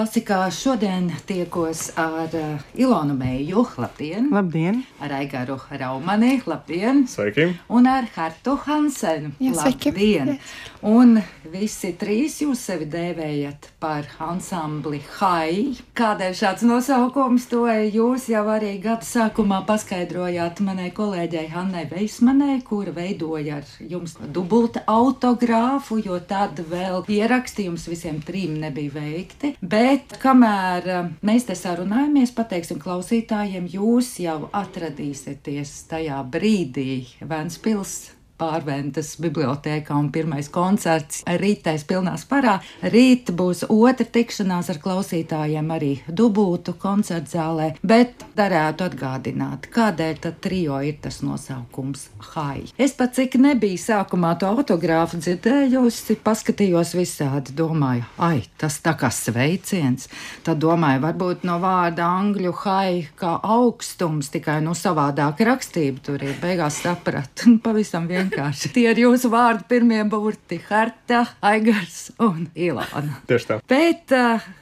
Klasikā šodien tiekos ar Ilonu Meiju, labdien! Labdien! Ar Aigaru Raumani, labdien! Sveiki! Un ar Hartu Hansenu, sveiki! Labdien! Un visi trīs jūs sevi dēvējat par ansambli Hai. Kādēļ šāds nosaukums, to jūs jau arī gada sākumā paskaidrojāt manai kolēģei Hannai Veismanai, kura veidoja ar jums dubulta autogrāfu, jo tad vēl ieraksti jums visiem trim nebija veikti. Bet kamēr mēs te sarunājamies, pateiksim klausītājiem, jūs jau atradīsieties tajā brīdī Ventspils Pārventas bibliotēkā un pirmais koncerts rītais pilnā sparā. Rīt būs otra tikšanās ar klausītājiem arī dubultu koncertu zālē, bet darētu atgādināt, kādēļ tad trio ir tas nosaukums Hai. Es pat cik nebija sākumā to autogrāfu dzirdējusi, paskatījos visādi, domāju, tas tā kā sveiciens. Tad domāju, varbūt no vārda angļu Hai kā augstums, tikai savādāk rakstība tur ir. Beigās sapratu, pavisam vienkārši. Tie ir jūsu vārdu pirmie burti - Harta, Aigars un Ilona. Tieši tā. Bet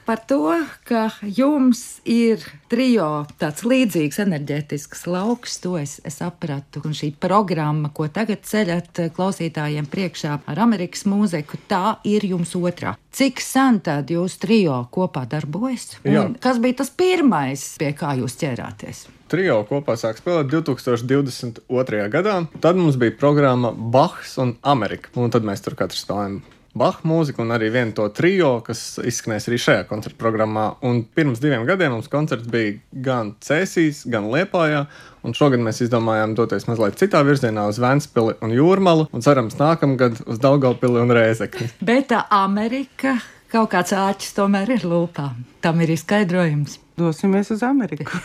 par to, ka jums ir trio tāds līdzīgs enerģētisks lauks, to es sapratu. Un šī programma, ko tagad ceļat klausītājiem priekšā ar Amerikas mūziku, tā ir jums otrā. Cik sen tad jūs trio kopā darbojas? Un kas bija tas pirmais, pie kā jūs ķērāties? Trio kopā sāk spēlēt 2022. gadā. Tad mums bija programma Bachs un Amerika. Un tad mēs tur katrs spēlējam Bacha mūziku un arī vienu to trio, kas izskanēs arī šajā koncerta programmā. Un pirms 2 gadiem mums koncerts bija gan Cēsīs, gan Liepājā. Un šogad mēs izdomājām doties mazliet citā virzienā uz Ventspili un Jūrmalu. Un cerams nākamgad uz Daugavpili un Rēzekni. Bet Amerika, kaut kāds āķis tomēr ir lūpā. Tam ir izskaidrojums. Dosimies uz Ameriku.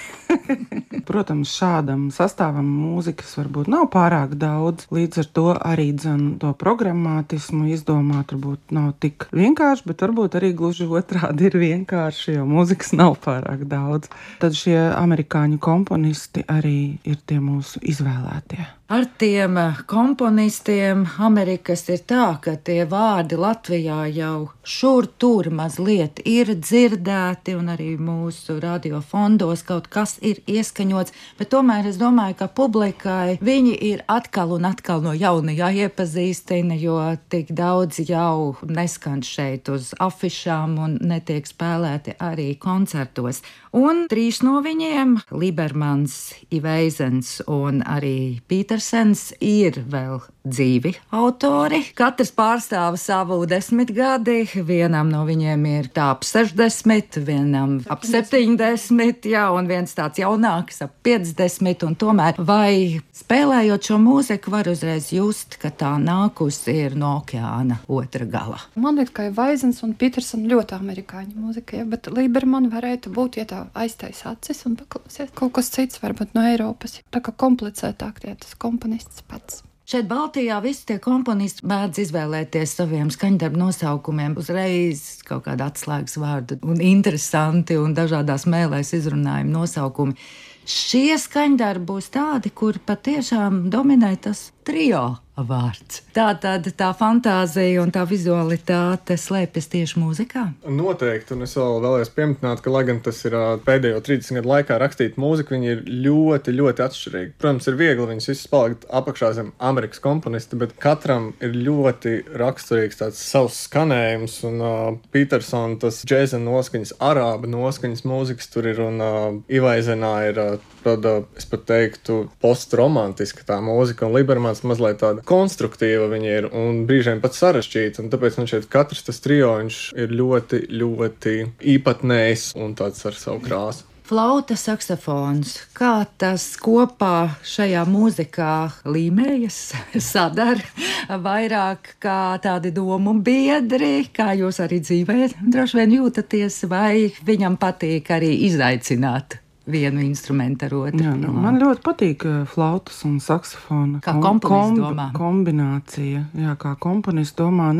Protams, šādam sastāvam mūzikas varbūt nav pārāk daudz. Līdz ar to arī to programmātismu izdomāt varbūt nav tik vienkārši, bet varbūt arī gluži otrādi ir vienkārši, jo mūzikas nav pārāk daudz. Tad šie amerikāņu komponisti arī ir tie mūsu izvēlētie. Ar tiem komponistiem Amerikas ir tā, ka tie vārdi Latvijā jau šur tur mazliet ir dzirdēti un arī mūsu radiofondos kaut kas ir ieskaņots, bet tomēr es domāju, ka publikai viņi ir atkal un atkal no jauna jāiepazīstina, jo tik daudz jau neskan šeit uz afišām un netiek spēlēti arī koncertos. Un 3 no viņiem, Libermans, Iveizens un arī Pītersens, ir vēl dzīvi autori. Katrs pārstāv savu 10 gadi, vienam no viņiem ir ap 60, vienam ap 70, un viens tāds jaunāks ap 50, un tomēr vai spēlējot šo mūziku var uzreiz just, ka tā nākusi ir no okeāna otra gala. Man liekas, ka Iveizens un Pītersens ļoti amerikāņu mūzika, bet Liberman varētu būt, ja tā aiztais acis un paklausies. Kaut kas cits varbūt no Eiropas, tā kā komplicētāk tie tas komponists pats. Šeit Baltijā visi tie komponisti mēdz izvēlēties saviem skaņdarbu nosaukumiem uzreiz kaut kādu atslēgas vārdu un interesanti un dažādās mēlēs izrunājumi nosaukumi. Šie skaņdarbi būs tādi, kur patiešām dominē tas trio vārds. Tātad tā fantāzija un tā vizualitāte slēpjas tieši mūzikā? Noteikti, un es vēl vēlējos pieminēt, ka, lai gan tas ir pēdējo 30 gadu laikā rakstīt mūziku, viņi ir ļoti, ļoti atšķirīgi. Protams, ir viegli viņus visus palikt apakšā zem Amerikas komponisti, bet katram ir ļoti raksturīgs tāds savs skanējums, un Pītersona tas džēza noskaņas, arāba noskaņas mūzikas tur ir, un Ivaizenā ir tāda, es pat teiktu, postromantiska tā mūzika, un Libermans mazliet tāda konstruktīva viņa ir, un brīžiem pat sarežģīta, un tāpēc man šeit katrs tas trio, viņš ir ļoti, ļoti īpatnējs un tāds ar savu krāsu. Flauta, saksofons, kā tas kopā šajā mūzikā līmējas, sadara vairāk kā tādi domu biedri, kā jūs arī dzīvē droši vien jūtaties, vai viņam patīk arī izaicināt vienu instrumentu ar otru? Jā, man ļoti patīk flautas un saksofona kā komponists domā. Kombinācija. Jā, kā komponists domā.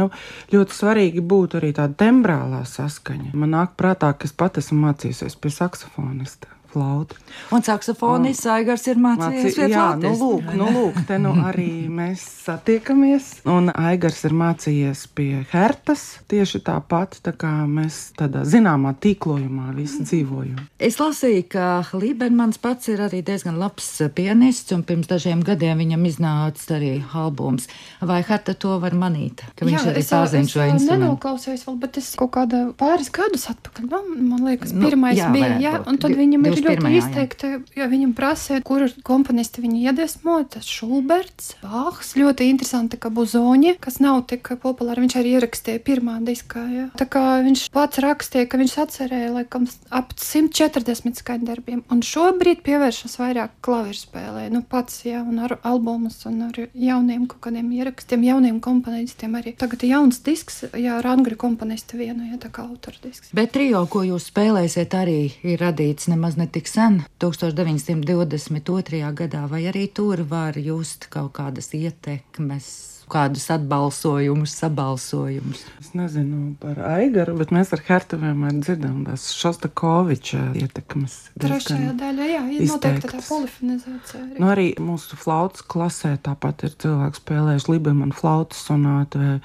Ļoti svarīgi būtu arī tāda tembrālā saskaņa. Man nāk prātā, ka es pat esmu mācījusies pie saksofonista. flautu. Un saksofonists Aigars ir mācījies pie flautas. Lūk, te arī mēs satiekamies. Un Aigars ir mācījies pie hertas tieši tāpat, tā kā mēs tādā zināmā tīklojumā visi dzīvojam. Es lasīju, ka Libermans pats ir arī diezgan labs pianists, un pirms dažiem gadiem viņam iznāca arī albums. Vai herta to var manīt? Ka viņš arī pazina šo instrumentu. Jā, es nenoklausījos vēl, bet es kaut kādā pāris gadus atpakaļ, man liekas, pirmais bija, un tad viņam ir ļoti izteikti, jo viņam prasīja, kur komponisti viņu iedvesmo, tas Šulberts, Bāhs, ļoti interesanti, ka Buzoņi, kas nav tik populāri, viņš arī ierakstīja pirmā diskā, jā. Tā kā viņš pats rakstīja, ka viņš atcerēja, laikam, ap 140 skaņdarbiem, un šobrīd pievēršas vairāk klavierspēlē, pats, jā, un ar albumus, un ar jauniem kaut kādiem ierakstiem, jauniem komponistiem arī. Tagad ir jauns disks, jā, ar angļu komponistu vienu, jā, tā kā autora disks. Bet trio, ko jūs spēlēsiet, arī ir radīts nemaz netik sen, 1922. gadā, vai arī tur var just kaut kādas ietekmes, kādus atbalsojumus, sabalsojumus? Es nezinu par Aigaru, bet mēs ar Hertu vienmēr dzirdam tās Šostakoviča ietekmes. Trešajā daļā, jā, ir noteikti tā polifonizācija arī. Arī mūsu flautas klasē tāpat ir cilvēki spēlējuši Libermana flautas sonātu vai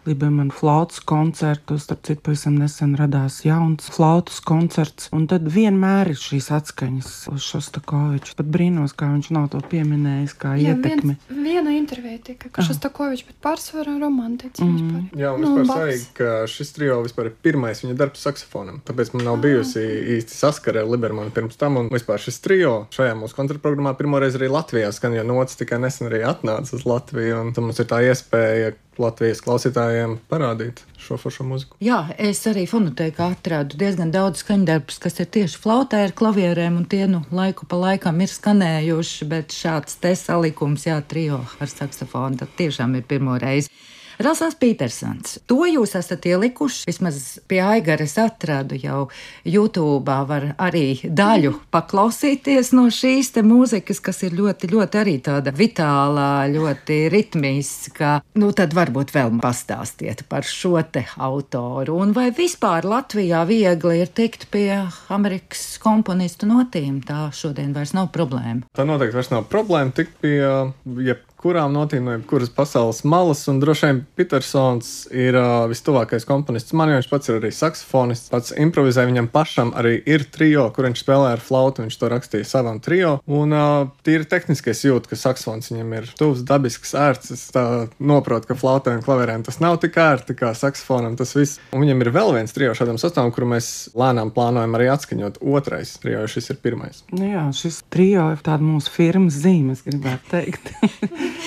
Libermana flautas koncertu. Starp citu, pavisam nesen radās jauns flautas koncerts, un tad vienmēr ir šīs atskaņas uz Šostakoviču. Pat brīnos, kā viņš nav to pieminējis, kā ietekmi. Viena intervija tika, ka Šostakovičs, bet pārsvarā romantiķis vispār. Jā, un vispār svarīgi, ka šis trio vispār ir pirmais viņa darbs saksofonam. Tāpēc man nav bijusi īsti saskare ar Libermanu pirms tam, un vispār šis trio šajā mūsu koncertprogrammā pirmoreiz arī Latvijā skan, jo nots tikai nesen arī atnāca uz Latviju, un tad mums ir tā iespēja Latvijas klausītājiem parādīt šo foršo muziku. Jā, es arī fonotēkā atradu diezgan daudz skaņdarbus, kas ir tieši flautē ar klavierēm, un tie laiku pa laikam ir skanējuši, bet šāds te salikums, jā, trio ar saksofonu, tad tiešām ir pirmo reizi. Ralfs Pītersons, to jūs esat ielikuši, vismaz pie Aigara es atradu jau YouTube'ā, var arī daļu paklausīties no šīs te mūzikas, kas ir ļoti, ļoti arī tāda vitālā, ļoti ritmiska. Tad varbūt vēl pastāstiet par šo te autoru, un vai vispār Latvijā viegli ir tikt pie Amerikas komponistu notīm, tā šodien vairs nav problēma. Tā noteikti vairs nav problēma tikt pie kurām notīm no jebkuras pasaules malas, un droši vien Pītersons ir vistuvākais komponists man, jo viņš pats ir arī saksofonists, pats improvizē, viņam pašam arī ir trio, kur viņš spēlē ar flautu, viņš to rakstīja savam trio, un tīri tehniskais jūt, ka saksofons viņam ir tuvs, dabisks, ērts, es tā noprotu, ka flautē un klavierēm tas nav tik ērti kā saksofonam, tas viss, un viņam ir vēl viens trio šādam sastāvam, kuru mēs lēnām plānojam arī atskaņot otrais trio, jo šis ir pirmais. Jā, šis trio ir tāda mūsu firmas zīme, es gribētu teikt.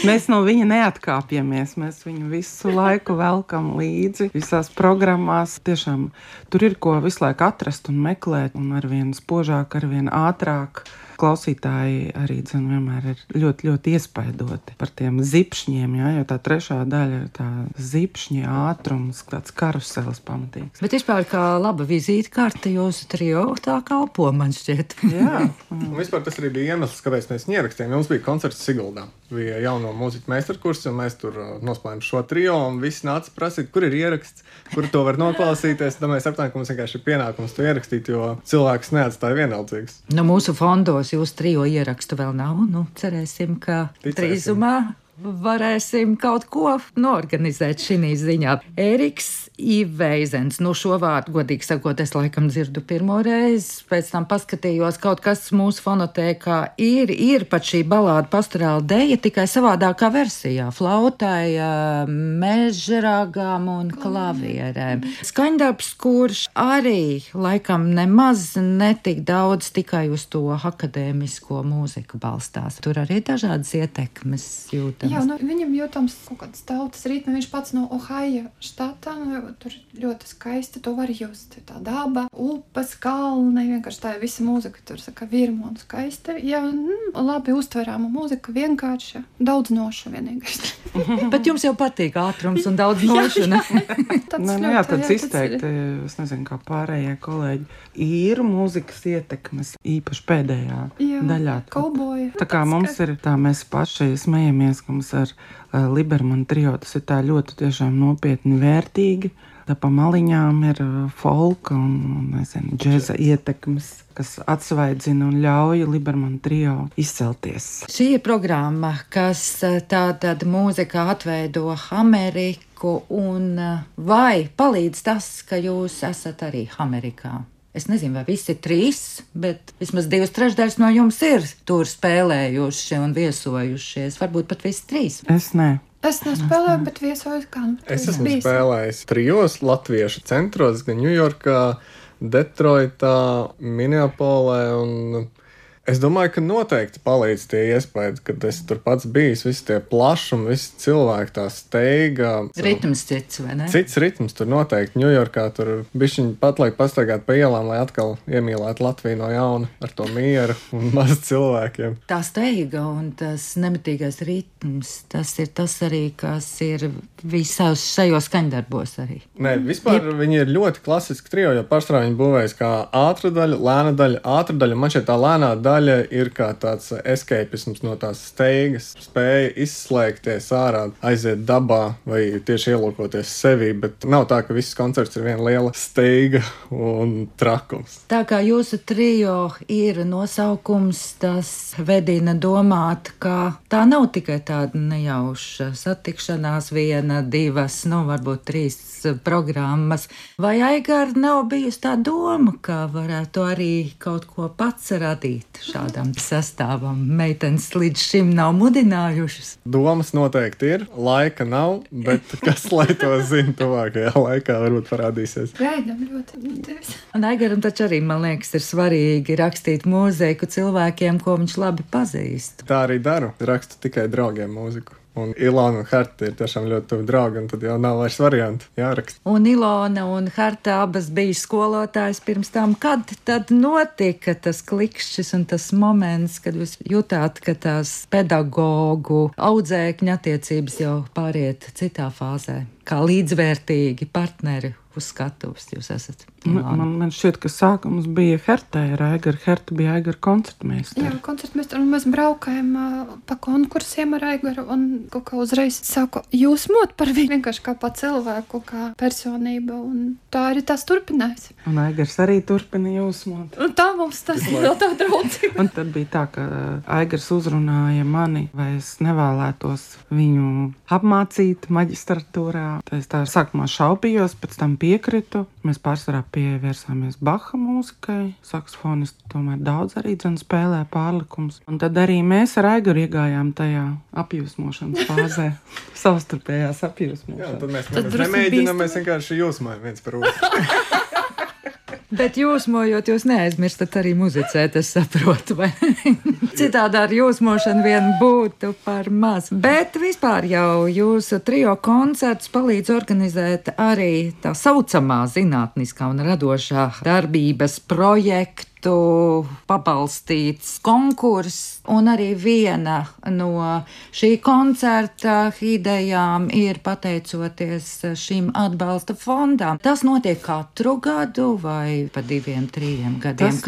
Mēs no viņa neatkāpjamies, mēs viņu visu laiku velkam līdzi, visās programmās. Tiešām tur ir ko visu laiku atrast un meklēt, un arvien spožāk, arvien ātrāk. Klausītāji arī vienmēr ir ļoti, ļoti iespaidoti par tiem zipšņiem, jā, jo tā trešā daļa ir tā zipšņi, ātrums, tāds karuselis pamatīgs. Bet vispār kā laba vizītkarte jūsu trio tā kalpo, man šķiet. Jā. Un vispār tas arī bija iemesls, kāpēc mēs viņu ierakstījām. Mums bija koncerts Siguldā. Bija jauno mūziķu meistarkurs, un mēs tur nospēlējām šo trio, un visi nāca prasīt, kur ir ieraksts, kur to var noklausīties. Tad mēs saprotam, ka mums vienkārši ir pienākums to ierakstīt, jo cilvēks neatstāja vienaldzīgs. Mūsu fondos jūs trio ierakstu vēl nav, cerēsim, ka drīzumā varēsim kaut ko norganizēt šī ziņā. Ēriks Iveizens, šo vārdu, godīgi sakot, es laikam dzirdu pirmo reizi, pēc tam paskatījos, kaut kas mūsu fonotēkā ir pat šī balāda pastorāla deja, tikai savādākā versijā, flautai, mežragām un klavierēm. Skaņdarbs, kurš arī laikam nemaz netik daudz tikai uz to akadēmisko mūziku balstās. Tur arī dažādas ietekmes jūtamas. Jā, viņam jūtams kaut kāds tautas ritmi, viņš pats no Ohaio štatā, tur ļoti skaisti, to var just, tā daba, upes, kalni, vienkārši tā visa mūzika, tur saka virmo un skaista, jā, labi uztverāma mūzika, vienkārši daudz nošu vienīgais. Bet jums jau patīk ātrums un daudz nošu, ne? Jā, tāds izteikti, es nezinu, kā pārējie kolēģi, ir mūzikas ietekmes, īpaši pēdējā daļā. Kauboja. Tā kā mums ir tā, mēs paši smejamies, ka mums ar Libermana trio tas ir tā ļoti tiešām nopietni vērtīgi. Tā pa maliņām ir folka un nezinu, džeza ietekmes, kas atsvaidzina un ļauj Liberman trio izcelties. Šī ir programma, kas tātad mūzikā atveido Ameriku, un vai palīdz tas, ka jūs esat arī Amerikā? Es nezinu, vai visi 3, bet vismaz 2/3 no jums ir tur spēlējuši un viesojušies. Varbūt pat visi 3. Es ne. Es nespēlēju, bet viesojos kā. Es esmu spēlējis 3 latviešu centros, gan Ņujorkā, Detroitā, Minneapolē, un es domāju, ka noteikti palīdz tie iespējas, kad es tur pats bijis, visi tie plašumi, visi cilvēki, tā steiga. Ritms cits, vai ne? Cits ritms tur noteikti. Ņujorkā tur bišķiņi pat laik pastaigāt pa ielām, lai atkal iemīlētu Latviju no jauna ar to mieru un maz cilvēkiem. Tā steiga un tas nemitīgais ritms, tas ir tas arī, kas ir visos šajos skaņdarbos arī. Nē, vispār viņi ir ļoti klasiski trio, jo pārsvarā viņi būvējas kā ātra daļa, lēna daļa, ātra daļa. Man šeit tā lēnā daļa ir kā tāds escapisms no tās steigas, spēja izslēgties ārā, aiziet dabā vai tieši ielūkoties sevī, bet nav tā, ka viss koncerts ir viena liela steiga un trakums. Tā kā jūsu trio ir nosaukums, tas vedina domāt, ka tā nav tikai tāda nejauša satikšanās, 1, 2, varbūt 3 programmas. Vai Aigar nav bijusi tā doma, ka varētu arī kaut ko pats radīt šādam sastāvam? Meitenes līdz šim nav mudinājušas. Domas noteikti ir, laika nav, bet kas lai to zina tuvākajā laikā varbūt parādīsies. Gaidām ļoti. Un Aigaram taču arī, man liekas, ir svarīgi rakstīt mūziku cilvēkiem, ko viņš labi pazīst. Tā arī daru, rakstu tikai draugiem mūziku. Un Ilona un Harta ir tiešām ļoti tuvi draugi, un tad jau nav vairs variantu jāraksta. Un Ilona un Harta abas bija skolotājas pirms tam. Kad tad notika tas klikšķis un tas moments, kad jūs jutāt, ka tās pedagogu audzēkņa attiecības jau pāriet citā fāzē? Kā līdzvērtīgi partneri uz skatuves jūs esat? Man šķiet, ka sākums bija Hertē ar Aigaru. Herta bija Aigara koncertmeistara. Jā, koncertmeistara, un mēs braukājam pa konkursiem ar Aigaru, un kaut kā uzreiz sāku jūsmot par viņu vienkārši kā pa cilvēku, kā personību, un tā arī tas turpinājās. Un Aigars arī turpina jūsmot. Un tā mums tas ir vēl tā draudzība. Un tad bija tā, ka Aigars uzrunāja mani, vai es nevēlētos viņu apmācīt maģistratūrā. Es tā sākumā šaubījos, pēc tam piekritu. Mēs pārsvarā pievērsāmies Baha mūzikai. Saksofonisti tomēr daudz arī spēlē pārlikums. Un tad arī mēs ar Aigaru iegājām tajā apjūsmošanas fāzē. Savstarpējās apjūsmošanas. Jā, tad mēs nemēģinām, mēs vienkārši jūsmojam viens par otru. Bet jūsmojot, jūs neaizmirstat arī muzicēt, es saprotu, vai citādi ar jūsmošanu vien būtu par maz. Bet vispār jau jūsu trio koncerts palīdz organizēt arī tā saucamā zinātniskā un radošā darbības projektu, pabalstīts konkurss, un arī viena no šī koncerta idejām ir pateicoties šīm atbalsta fondām. Tas notiek katru gadu vai pa 2-3 gadiem?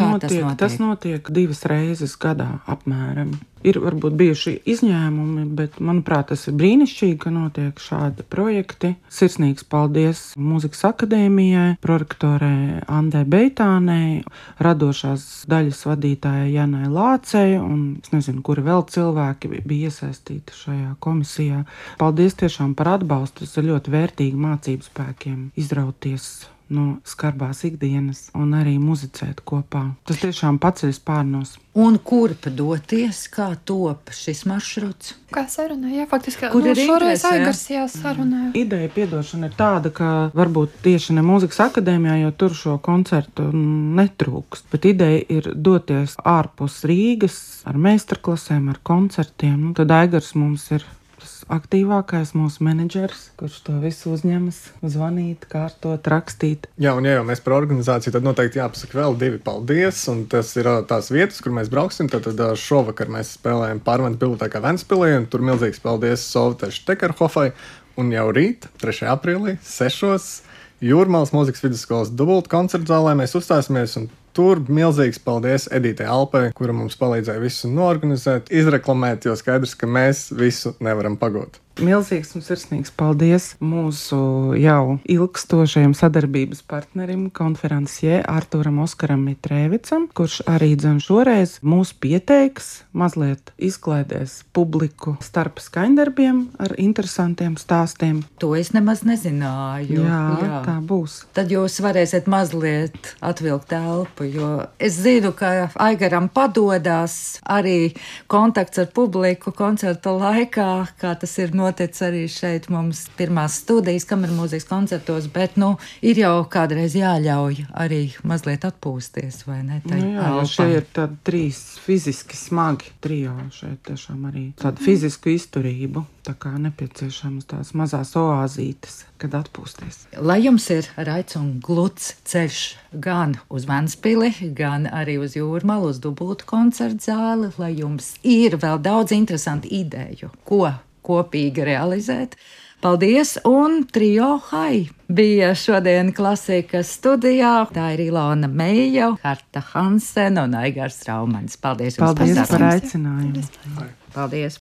Tas notiek 2 reizes gadā apmēram. Ir varbūt bijuši izņēmumi, bet, manuprāt, tas ir brīnišķīgi, ka notiek šādi projekti. Sirsnīgs paldies Mūzikas akadēmijai, prorektorē Andai Beitānei, radošās daļas vadītājai Janai Lācei, un es nezinu, kuri vēl cilvēki bija iesaistīti šajā komisijā. Paldies tiešām par atbalstu, tas ir ļoti vērtīgi mācību spēkiem izrauties no skarbās ikdienas un arī muzicēt kopā. Tas tiešām paceļas pārnos. Un kurp doties, kā top šis maršruts? Kā sarunāja, faktiski, Kur ir šoreiz interese, Aigars sarunāja. Ideja, piedošana, ir tāda, ka varbūt tieši ne Mūzikas akadēmijā, jo tur šo koncertu netrūkst, bet ideja ir doties ārpus Rīgas ar meistarklasēm, ar koncertiem. Tad Aigars mums ir aktīvākais mūsu menedžers, kurš to visu uzņemas, zvanīt, kārtot, rakstīt. Jā, un ja jau mēs par organizāciju, tad noteikti jāpasaka vēl 2 paldies, un tas ir tās vietas, kur mēs brauksim. Tad šovakar mēs spēlējam Pārventu bibliotēkā Ventspilī, un tur milzīgs paldies Sovtai Štekerhofai, un jau rīt, 3. aprīlī, 6. Jūrmālas mūzikas vidusskolas dubultu koncertu zālē mēs uzstāsimies, un tur milzīgs paldies Edītei Alpai, kura mums palīdzēja visu norganizēt, izreklamēt, jo skaidrs, ka mēs visu nevaram pagot. Milzīgs un sirsnīgs paldies mūsu jau ilgstošajam sadarbības partnerim, konferenciē Artūram Oskaram Mitrēvicam, kurš arī dzen šoreiz mūs pieteiks, mazliet izklaidēs publiku starp skaņdarbiem ar interesantiem stāstiem. To es nemaz nezināju. Jā, tā būs. Tad jūs varēsiet mazliet atvilkt telpu, jo es zinu, ka Aigaram padodas arī kontakts ar publiku koncerta laikā, kā tas ir noticis arī šeit mums pirmās studijas kamermūzikas koncertos, bet, ir jau kādreiz jāļauj arī mazliet atpūsties, vai ne? Šie ir tādi 3 fiziski smagi trio, šeit tiešām arī tādu fizisku izturību, tā kā nepieciešams tās mazās oāzītes, kad atpūsties. Lai jums ir raids un gluds ceļš gan uz Ventspili, gan arī uz Jūrmalu, uz dubultu koncertu zāli, lai jums ir vēl daudz interesantu ideju, ko kopīgi realizēt. Paldies, un trio Hai bija šodien klasikas studijā. Tā ir Ilona Meija, Harta Hansen un Aigars Raumans. Paldies jums par aicinājumu. Paldies.